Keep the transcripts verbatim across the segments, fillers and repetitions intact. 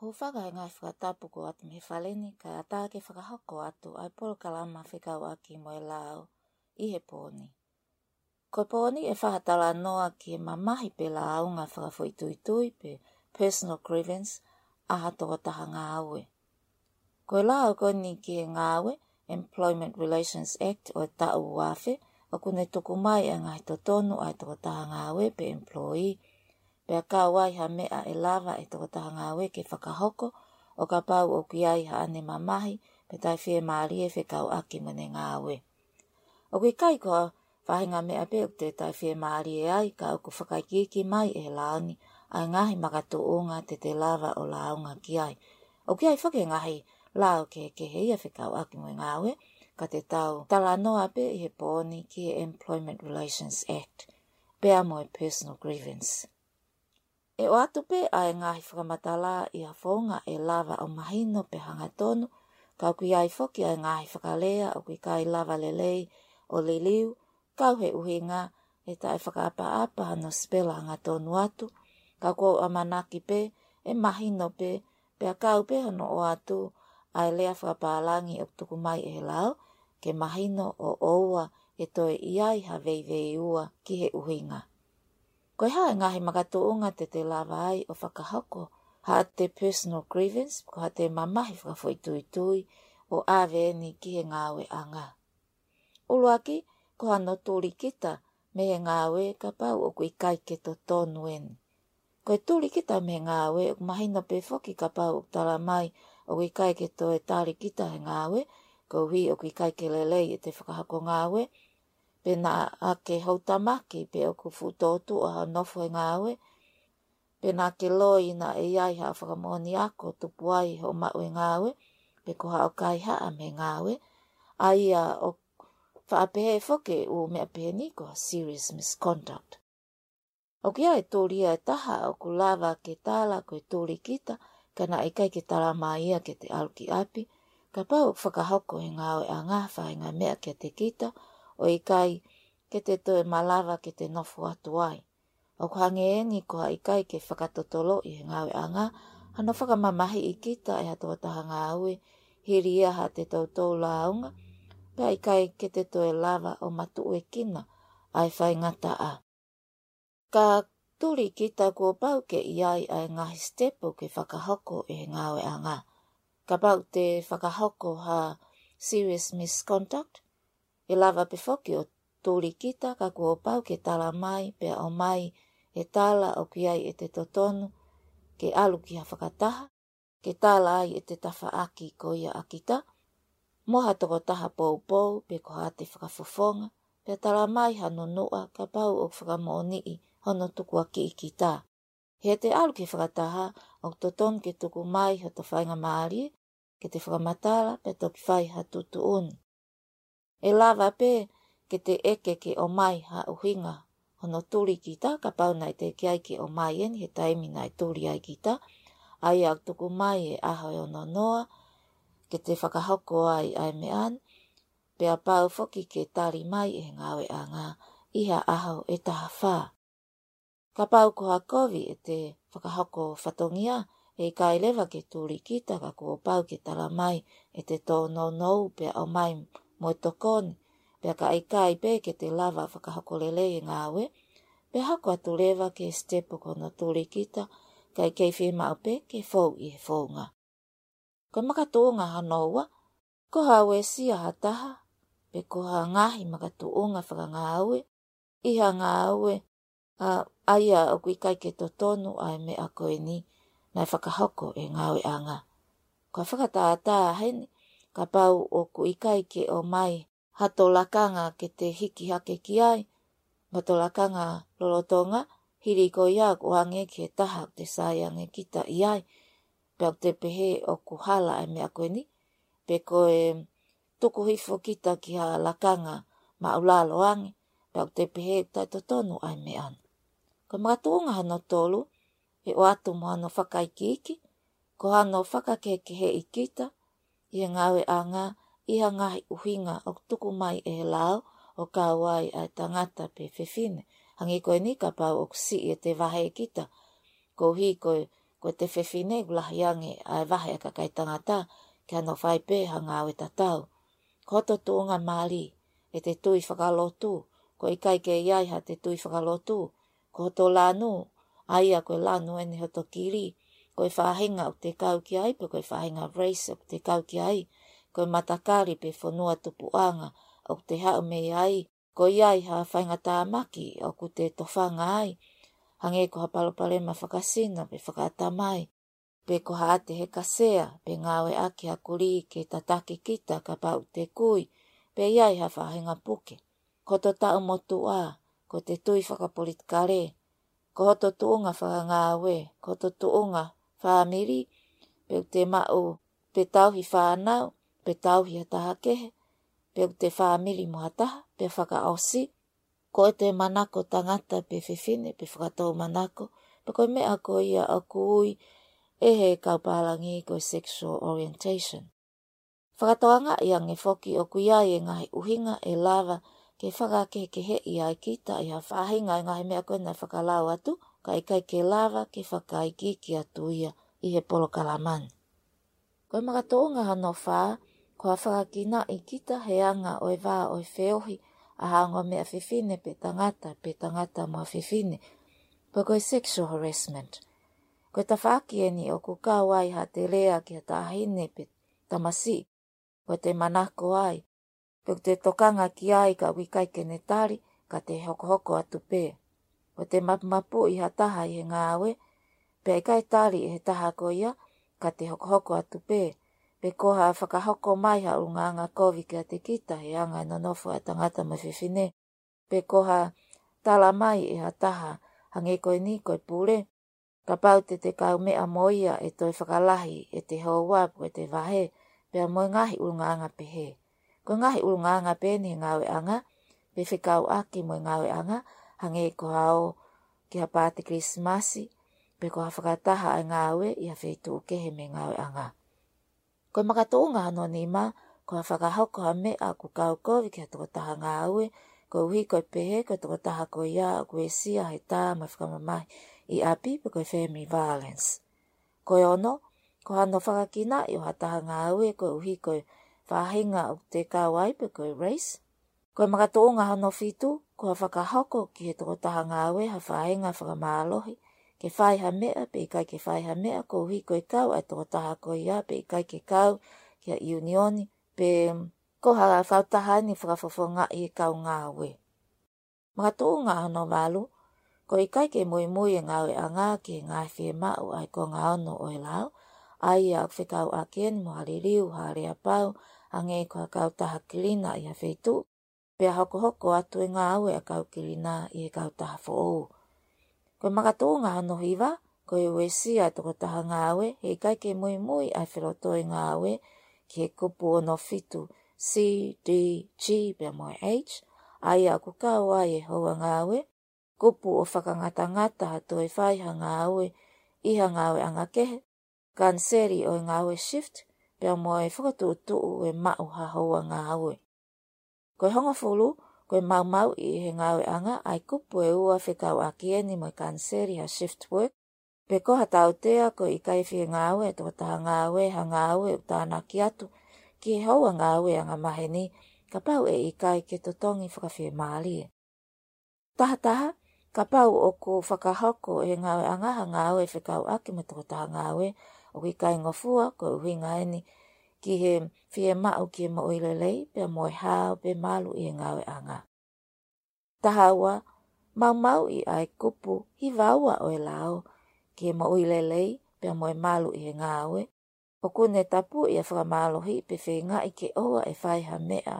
Hūfanga he ngaahi fakatapu kuo ʻoatu mei he fale ni, kae ʻatā ke fakahoko atu ʻa e polokalama fekauʻaki mo e lao ʻi he pō ni. Ko e pō ni ʻe fakatalanoa ki he mamahi pe lāunga fakafoʻituitui pe personal grievance ʻa ha tokotaha ngāue. Ko e lao ko eni ki he ngāue, Employment Relations Act ʻo e taʻu ua afe, ʻoku ne tuku mai ʻa e ngaahi totonu ʻa e tokotaha ngāue pe employee, pea kau ai ha meʻa ʻe lava ʻe he tokotaha ngāue ke fakahoko, ʻo kapau ʻoku ʻi ai haʻane mamahi pe taʻefiemālie fekauʻaki mo ʻene ngāue. ʻOku ʻikai ko ha faʻahinga meʻa pē ʻoku te taʻefiemālie ai, ka ʻoku fakaikiiki mai ʻe he lao ni ʻa e ngaahi makatuʻunga te te lava ʻo lāunga ki ai. ʻOku ʻi ai foki e ngaahi lao kehekehe ia fekauʻaki mo e ngāue, ka te tau talanoa pē ʻi he pō ni ki he Employment Relations Act, pea mo e personal grievance. ʻE ʻoatu pē ʻa e ngaahi fakamatala ʻi ha founga ʻe lava ʻo mahino pe hangatonu, ka ʻoku ʻi ai foki ʻa e ngaahi fakalea ʻoku ʻikai lava lelei ʻo liliu, kau he ʻuhinga ʻe taʻefakaʻapaʻapa hano sipela hangatonu atu, ka ʻoku ou ʻamanaki pē ʻe mahino pē, pea kau pē hono ʻoatu ʻa e lea fakapālangi ʻoku tuku mai ʻe he lao, ke mahino ʻo ʻoua ʻe toe ʻi ai ha veiveiua ki he ʻuhinga. Ko e hā e ngaahi makatuʻunga te te lava ai ʻo fakahoko haʻate personal grievance, ko haʻate mamahi fakafoʻituitui ʻo ʻave eni ki he ngāueʻanga? ʻUluaki, ko hano tuli kita mei he ngāue kapau ʻoku ʻikai ke totonu eni. Ko e tuli kita mei he ngāue ʻoku mahino pē foki kapau ʻoku tala mai ʻoku ʻikai ke toe tali kita he ngāue, koeʻuhi ʻoku ʻikai ke lelei ʻete fakahoko ngāue, pe naʻa ke houtamaki pe ʻoku fuʻu tōtuʻa hoʻo nofo he ngāue, pe naʻa ke loi naʻe ʻi ai haʻo fakamoʻoni ako tupu ai hoʻo maʻu e ngāue, pe ko haʻo kaihaʻa mei he ngāue, ʻa ia ʻoku faʻa pehē foki e ʻū meʻa pehē ni ko e serious misconduct. ʻOku ʻi ai e tuli ia ʻe taha ʻoku lava ke tala ko e tuli kita, ka naʻe ʻikai ke tala mai ia ke te ʻalu ki ʻapi, kapau ʻoku fakahoko he ngāueʻanga ha faʻahinga meʻa kiate kita, ʻo ʻikai ke te toe malava ke te nofo atu ai. ʻOku hangē eni ko ha ʻikai ke fakatotoloʻi he ngāueʻanga hano fakamamahiʻi kita ʻe ha tokotaha ngāue hili ia haʻate toutou lāunga, pea ʻikai ke te toe lava ʻo matuʻuekina ʻa e faingataʻa. Ka tuli kita, kuo pau ke ʻi ai ʻa e ngaahi sitepu ke fakahoko ʻe he ngāueʻanga. Kapau te fakahoko ha serious misconduct, ʻe lava pē foki ʻo tuli kita, ka kuo pau ke tala mai pea ʻomai e tala ʻoku ʻi ai ʻete totonu ke ʻalu ki ha fakataha, ke tala ai ʻete tafaʻaki ko ia ʻa kita mo ha tokotaha poupou pe ko haʻate fakafofonga, pea tala mai ha nunuʻa kapau ʻoku fakamoʻoniʻi hono tukuakiʻi kita. He te ʻalu ki he fakataha, ʻoku totonu ke tuku mai hoto faingamālie ke te fakamatala pea toki fai ha tuʻutuʻuni. ʻE lava pē ke te ʻeke ke ʻomai ha ʻuhinga hono tuli kita, kapau naʻe teʻeki ai ke ʻomai eni he taimi naʻe tuli ai kita, ʻa ia ʻoku tuku mai e ʻaho ʻe ono noa ke te fakahoko ai ʻa e meʻa ni, pea pau foki ke tali mai ʻe he ngāueʻanga ʻi ha ʻaho ʻe taha fā. Kapau ko ha kovi ʻete fakahoko fatongia, ʻe ʻikai leva ke tuli kita, ka kuo pau ke tala mai ʻete tōnounou pea ʻomai mo e tokoni, pea ka ʻikai pē ke te lava fakahoko lelei e ngāue, pea hoko atu leva ki he sitepu ko hono tuli kita, kae kei fiemaʻu pē ke fou ʻi he founga. Ko e makatuʻunga hono ua, ko ha uesia ha taha, pe ko ha ngaahi makatuʻunga fakangāue ʻi ha ngāue, ʻa, ʻa ia ʻoku ʻikai ke totonu ʻa e meʻa ko eni naʻe fakahoko ʻe he ngāueʻanga. Ko e fakatātā heni, kapau ʻoku ʻikai ke ʻomai hato lakanga ke te hiki hake ki ai, mo hato lakanga lolotonga, hili ko ia ʻoku ʻoange ki he taha ʻoku te sai ange kita ʻi ai, pea ʻoku te pehē ʻoku hala ʻa e meʻa ko eni, pe ko e tuku hifo kita ki ha lakanga maʻulalo ange, pea ʻoku te pehē ʻoku taʻetotonu ʻa e meʻa ni. Ko e makatuʻunga hono tolu, ʻe ʻoatu mo hano fakaikiiki, ko hano fakakehekeheʻi kita ʻi he ngāueʻanga ʻi ha ngaahi ʻuhinga ʻoku tuku mai ʻe he lao, ʻo kau ai ʻa e tangata pe fefine Hangē ko eni kapau ʻoku siʻi ʻete vahe kita, koeʻuhi ko e, ko ʻete fefine ʻoku lahi ange ʻa e vahe ʻa e kakai tangata, ke nau fai pē ha ngāue tatau. Ko hoto tuʻunga mali, ʻete tui fakalotu, ko e ʻikai ke ʻi ai haʻate tui fakalotu, ko hoto lanu, ʻa ia ko e lanu ʻeni hoto kili, ko e faʻahinga ʻoku te kau ki ai, pe ko e faʻahinga race ʻoku te kau ki ai, ko e matakali pe fonua tupuʻanga ʻoku te haʻu mei ai, ko ia ʻi ha faʻahinga tāmaki ʻoku te tofanga ai, hangē ko ha palopalema fakasino pe fakaʻatamai, pe ko haʻate heka sea, pe ngāueʻaki ha kulī ke tataki kita kapau te kui, pe ʻi ai ha faʻahinga puke. Ko hoto taʻu motuʻa, ko ʻete tui fakapolitikale, ko hoto tuʻunga fakangāue, ko hoto tuʻunga fāmili, pe ʻoku te maʻu, pe tauhi fānau, pe tauhi ha taha kehe, pe ʻoku te fāmili mo ha taha, pe fakaʻosi, ko ʻete manako tangata pe fefine, pe fakatoumanako, pe ko e meʻa ko ia ʻoku ui ʻe he kau pālangi ko e sexual orientation. Fakatokangaʻi ange foki ʻoku ʻi ai e ngaahi ʻuhinga ʻe lava ke fakakehekeheʻi ai kita ʻi ha faʻahinga ʻo e ngaahi meʻa ko ē naʻe fakalau atu, ka ʻikai ke lava ke fakaikiiki atu ia ʻi he polokalama ni. Ko e makatuʻunga hono fā, ko ha fakakinaʻi kita he anga ʻo e vā ʻo e feohi ʻa ha ongo meʻa fefine pe tangata, pe tangata mo ha fefine, pe ko e sexual harassment. Ko e tafaʻaki ʻeni ʻoku kau ai haʻate lea ki ha taʻahine pe tamasiʻi, ko ʻete manako ai, pe ʻoku te tokanga ki ai ka ʻoku ʻikai ke ne tali, ka te hokohoko atu pē. Ko ʻete mapumapuʻi ha taha ʻi he ngāue, pea ʻikai tali ʻe he taha ko ia, ka te hokohoko atu pē. Pe ko ha fakahoko mai ha ʻulungaanga kovi kiate kita he anga e nonofo ʻa e tangata mo e fefine, pe ko ha tala mai ʻe ha taha, hangē ko eni ko e pule, kapau te te kaumeʻa mo ia ʻe toe fakalahi ʻete houa pe ko ʻete vahe, pea mo e ngaahi ʻulungaanga pehē. Ko e ngaahi ʻulungaanga pē ʻeni he ngāueʻanga, pe fekauʻaki mo e ngāueʻanga, hangē ko ha ō ki ha paati Kilisimasi, pe ko ha fakataha ʻa e ngāue ʻi ha feituʻu kehe mei he ngāueʻanga. Ko e makatuʻunga hono nima, ko ha fakahoko ha meʻa ʻoku kau kovi ki ha tokotaha ngāue, koeʻuhi ko e pehē ko e tokotaha ko ia ʻoku uesia he tā mo e fakamamahi ʻi ʻapi pe ko e family violence. Ko e ono, ko hano fakakinaʻi ʻo ha taha ngāue koeʻuhi ko e faʻahinga ʻoku te kau ai pe ko e race. Ko e makatuʻunga hono fitu, ko ha fakahoko ki he tokotaha ngāue ha faʻahinga fakamālohi, ke fai ha meʻa pe ʻikai ke fai ha meʻa koeʻuhi ko e kau ʻa e tokotaha ko ia pe ʻikai ke kau ki ha ʻiunioni, pe ko ha kautaha ʻeni fakafofongaʻi e kau ngāue. Makatuʻunga hono valu, ko e ʻikai ke muimui e ngāueʻanga ki he ngaahi fiemaʻu ʻa e konga ono ʻo e lao, ʻa ia ʻoku fekauʻaki ʻeni mo ha liliu, ha aleapau, hangē ko ha kautaha kilina ʻi ha feituʻu, pea hokohoko atu e ngāue ʻa e kau kilina ʻi he kautaha foʻou. Ko e makatuʻunga hono hiva, ko e uesia e tokotaha ngāue, he ʻikai ke muimui ʻa e felotoi ngāue ki he kupu ono fitu C, D, G, pea mo e H, ʻa ia ʻoku kau ai e houa ngāue, kupu ʻo fakangatangata ha toe fai ha ngāue ʻi ha ngāueʻanga kehe, kaniseli ʻo e ngāue shift, pea mo e fakatuʻutuʻu e maʻu ha houa ngāue. Ko e hongofulu, ko e maumauʻi ʻe he ngāueʻanga ʻa e kupu ʻe ua fekauʻaki ʻeni mo e kaniseli ha shift work, pe ko ha tautea ko e ʻikai fie ngāue e tokotaha ngāue ha ngāue ʻoku tānaki atu ki he houa ngāue angamaheni, kapau ʻe ʻikai ke totongi fakafiemālie. Tahataha, kapau ʻoku fakahoko ʻe he ngāueʻanga ha ngāue fekauʻaki mo e tokotaha ngāue ʻoku ʻikai ngofua, ko e ʻuhinga ʻeni ki he fiemaʻu ki he moʻui lelei, pea mo e hao pe malu ʻi he ngāueʻanga. Taha ua, maumauʻi ʻa e kupu hiva ua ʻo e lao ki he moʻui lelei, pea mo e malu ʻi he ngāue, ʻoku ne tapuʻi ʻa e fakamālohi pe feingaʻi ke ʻoua ʻe fai ha meʻa,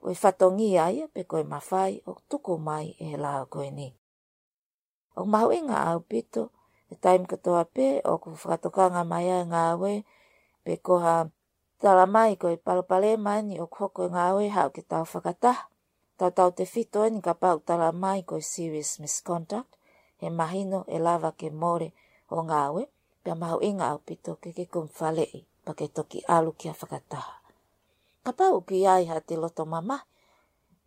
ko e fatongia ia pe ko e mafai ʻoku tuku mai ʻe he lao ko ʻeni. ʻOku mahuʻinga ʻaupito, he taimi kotoa pē ʻoku fakatokanga mai ai e ngāue, pe ko ha tala mai ko e palopalema ʻeni ʻoku hoko he ngāue, haʻu ke tau fakataha. Tautautefito ʻeni kapau ʻoku tala mai ko e serious misconduct, he mahino ʻe lava ke mole hoʻo ngāue, pea mahuʻinga ʻaupito ke ke kumi faleʻi, pea ke toki ʻalu ki ha fakataha. Kapau ʻoku ʻi ai haʻate loto mamahi,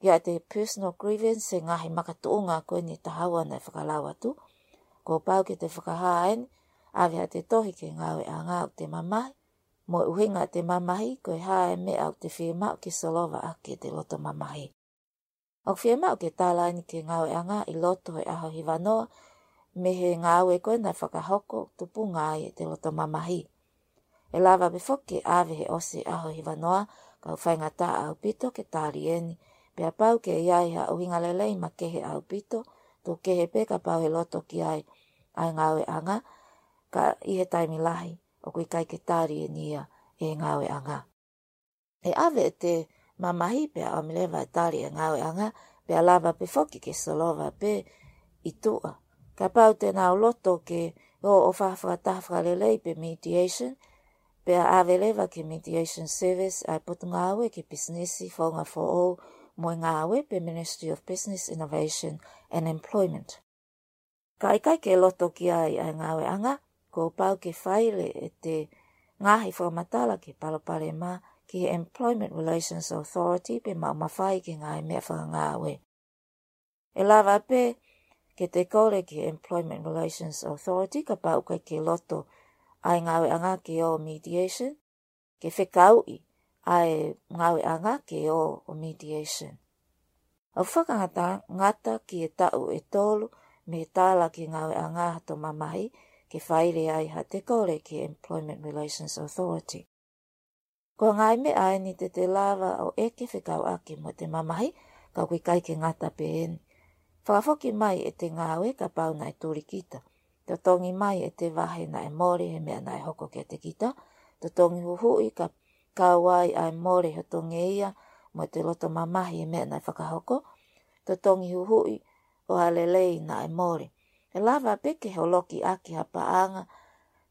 ʻIate personal grievance he ngaahi makatuʻunga ko eni ʻe taha ua naʻe fakalau atu. Kuo pau ke te fakahā eni, ʻave haʻate tohi ki he ngāueʻanga ʻoku te mamahi, mo e ʻuhinga ʻete mamahi, ko e hā e meʻa ʻoku te fiemaʻu ke solova ʻaki ʻete loto mamahi. ʻOku fiemaʻu ke tala eni ki he ngāueʻanga ʻi loto he ʻaho hivanoa, mei he ngāue ko ē naʻe fakahoko tupunga ai ʻete loto mamahi. ʻE lava pē foki ke ʻave he ʻosi ʻaho hivanoa, ka ʻoku faingataʻa ʻaupito ke tali eni, pea pau ke ʻi ai ha ʻuhinga lelei makehe ʻaupito, tuku kehe pē kapau ʻe loto ki ai ʻa e ngāueʻanga, ka ʻi he taimi lahi, ʻoku ʻikai ke tali eni ia ʻe he ngāueʻanga. ʻE ʻave ʻete mamahi pea ʻomi leva e tali ʻe he ngāueʻanga, pea lava pē foki ke solova pē ʻi tuʻa. Kapau te nau loto ke ō ʻo fai ha fakataha fakalelei pe mediation, pea ʻave leva ki he mediation service ʻa e Potungāue ki he Pisinisi, Founga Foʻou mo e Ngāue pe Ministry of Business, Innovation and Employment. Ka ʻikai ke loto ki ai ʻa e ngāueʻanga, kuo pau ke faile ʻete ngaahi fakamatala ki he palopalema ki he Employment Relations Authority pe maʻu mafai ki he ngaahi meʻa fakangāue. ʻE lava pē ke te kole ki he Employment Relations Authority kapau ʻoku ʻikai ke loto ʻa e ngāueʻanga ke ō mediation, ke fekauʻi ʻa e ngāueʻanga ke ō ʻo mediation. ʻOku fakangata ngata ki he taʻu ʻe tolu mei he tala ki he ngāueʻanga hato mamahi ke faile ai haʻate kole ki he Employment Relations Authority. Ko e ngaahi meʻa eni te te lava ʻo ʻeke fekauʻaki mo ʻete mamahi, ka ʻoku ʻikai ke ngata pē eni. Fakafoki mai ʻete ngāue kapau naʻe tuli kita. Totongi mai ʻete vahe naʻe mole he meʻa naʻe hoko kiate kita. Totongi huhuʻi ka kau ai ʻa e mole hoto ngeia mo ʻete loto mamahi he meʻa naʻe fakahoko. Totongi huhuʻi ʻo ha lelei naʻe mole. ʻE lava pē ke holoki ʻaki ha paʻanga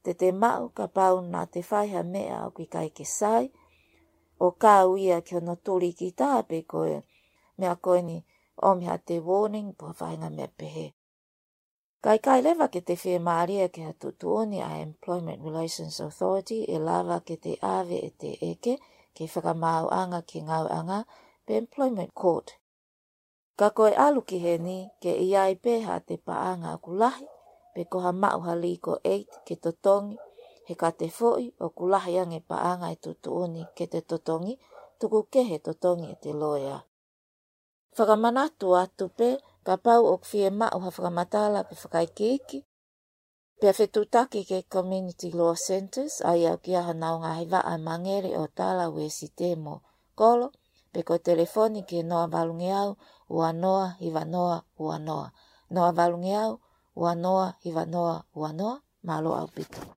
te te maʻu kapau naʻa te fai ha meʻa ʻoku ʻikai ke sai, ʻo kau ia ki hono tuli kita pe ko e meʻa ko eni ʻomi haʻate warning pe ha faʻahinga meʻa pehē. Ka ʻikai leva ke te fiemālie ki ha tuʻutuʻuni ʻa e Employment Relations Authority, ʻe lava ke te ʻave ʻete ʻeke ki he Fakamaauʻanga ki he Ngāueʻanga pe Employment Court. Ka ko e ʻalu ki heni ke ʻi ai pē haʻate paʻanga ʻoku lahi, pe ko ha maʻu ha legal aid ke totongi, he ka te foʻi ʻoku lahi ange paʻanga ʻe tuʻutuʻuni ke te totongi, tuku kehe totongi ʻete loea. Fakamanatu atu pē, kapau ʻoku fiemaʻu ha fakamatala pe fakaikiiki, pea fetuʻutaki ki he Community Law Centres, ʻa ia ʻoku ʻi ai honau ngaahi vaʻa mangele ʻo Tala, Uēsite mo Kolo, pe ko e telefoni ki he noa valungeau ua noa hiva noa ua noa. Noa valungeau ua noa hiva noa ua noa, mālō ʻaupito.